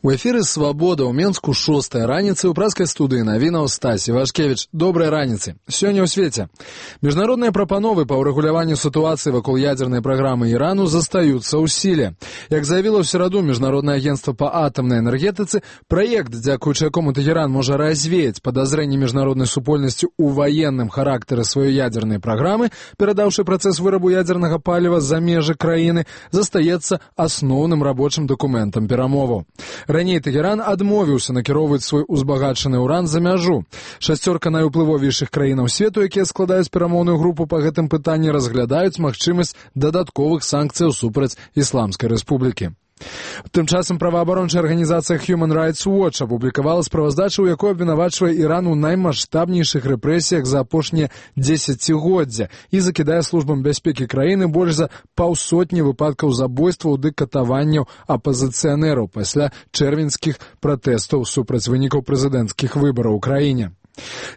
У эфіры «Свабода» ў Менску 6-я раніцы ў праскай студыі навінаў Стась Івашкевіч. Добрай раніцы. Сёння ў свеце. Міжнародныя прапановы па ўрэгуляванню сітуацыі вакол ядзернай праграмы Ірану застаюцца ў сіле. Як заявіла ў сераду Міжнароднае агенцтва па атамнай энергетыцы, праект, дзякуючы якому Тэхеран можа развеяць падазрэнні міжнароднай супольнасці ў ваенным характары сваёй ядзернай праграмы, перадаўшы працэс вырабу ядзернага паліва за межы краіны, застаецца асноўным рабочым дакументам перамоваў. Раней Тэхеран адмовіўся накіроўваць свой узбагачаны ўран за мяжу. 6 найуплывовейшых краінаў свету, якія складаюць перамоўную групу па гэтым пытанні, разглядаюць магчымасць дадатковых санкцыяў супраць Ісламскай Рэспублікі. Тым часам праваабарончая арганізацыя Human Rights Watch апублікавала справаздачу, у якой абвінавачвае Іран у наймаштабнейшых рэпрэсіях за апошнія дзесяцігоддзя і закідае службам бяспекі краіны больш за 500 выпадкаў забойстваў ды катаванняў апазіцыянераў пасля чэрвеньскіх пратэстаў супраць вынікаў прэзідэнцкіх выбараў у краіне.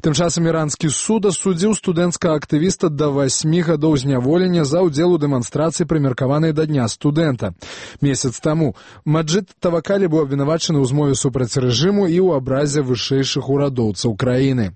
Тым часам іранскі суд асудзіў студэнцкага актывіста да 8 гадоў зняволення за ўдзел у дэманстрацыі, прымеркаванай да дня студэнта. Месяц таму Маджид Тавакалі быў абвінавачаны ў змове супраць рэжыму і ў абразе вышэйшых урадоўцаў краіны.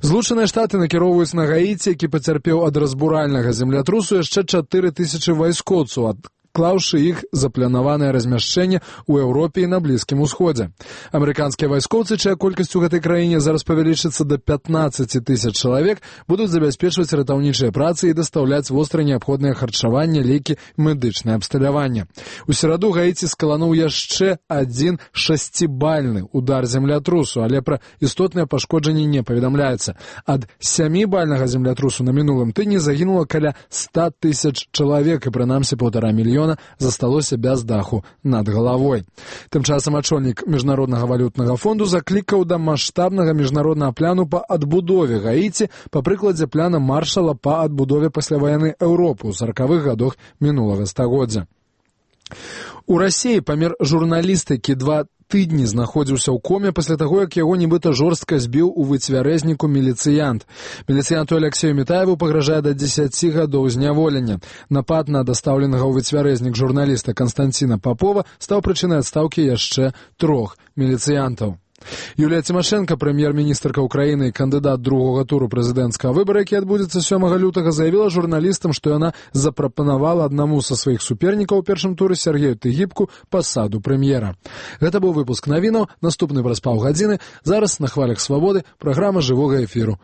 Злучаныя Штаты накіроўваюць на Гаіці, які пацярпеў ад разбуральнага землятрусу, яшчэ 4000 вайскоўцаў, адклаўшы іх запланаванае размяшчэнне ў Еўропе і на Блізкім Усходзе. Амерыканскія вайскоўцы, чая колькасць у гэтай краіне зараз павялічыцца да 15 000 чалавек, будуць забяспечваць ратаўнічыя працы і дастаўляць востра неабходнае харчаванне, лекі, медычнае абсталяванне. У сераду Гаіці скалануў яшчэ адзін 6-бальны удар землятрусу, але пра істотныя пашкоджанні не паведамляецца. Ад 7-бальнага землятрусу на мінулым тыдні загінула каля 100 000 чалавек і прынамсі 1,5 мільёна засталося без даху над галавой. Тым часам ачольнік Міжнароднага валютнага фонду заклікаў да маштабнага міжнароднага пляну па адбудове Гаіці па прыкладзе пляна Маршала па адбудове пасляваеннай Еўропы ў 40-х гадах мінулага стагоддзя. У Расіі памер журналіст, які 2 тыдні знаходзіўся ў коме пасля таго, як яго нібыта жорстка збіў у выцвярэзніку міліцыянт. Міліцыянту Алексею Мітаеву пагражае да 10 гадоў зняволення. Напад на дастаўленага ў выцвярэзнік журналіста Канстанціна Папова стаў прычынай адстаўкі яшчэ 3 міліцыянтаў. Юлія Цімашэнка, прэм'ер-міністрка ўкраіны і кандыдат другога туру прэзідэнцкага выбара, які адбудзецца 7 лютага, заявіла журналістам, што яна запрапанавала аднаму са сваіх супернікаў у першым туры Сергею Тыгібку пасаду прэм'ера. Гэта быў выпуск навінаў, наступны праз паўгадзіны. Зараз на хвалях Свабоды праграма жывога эфіру.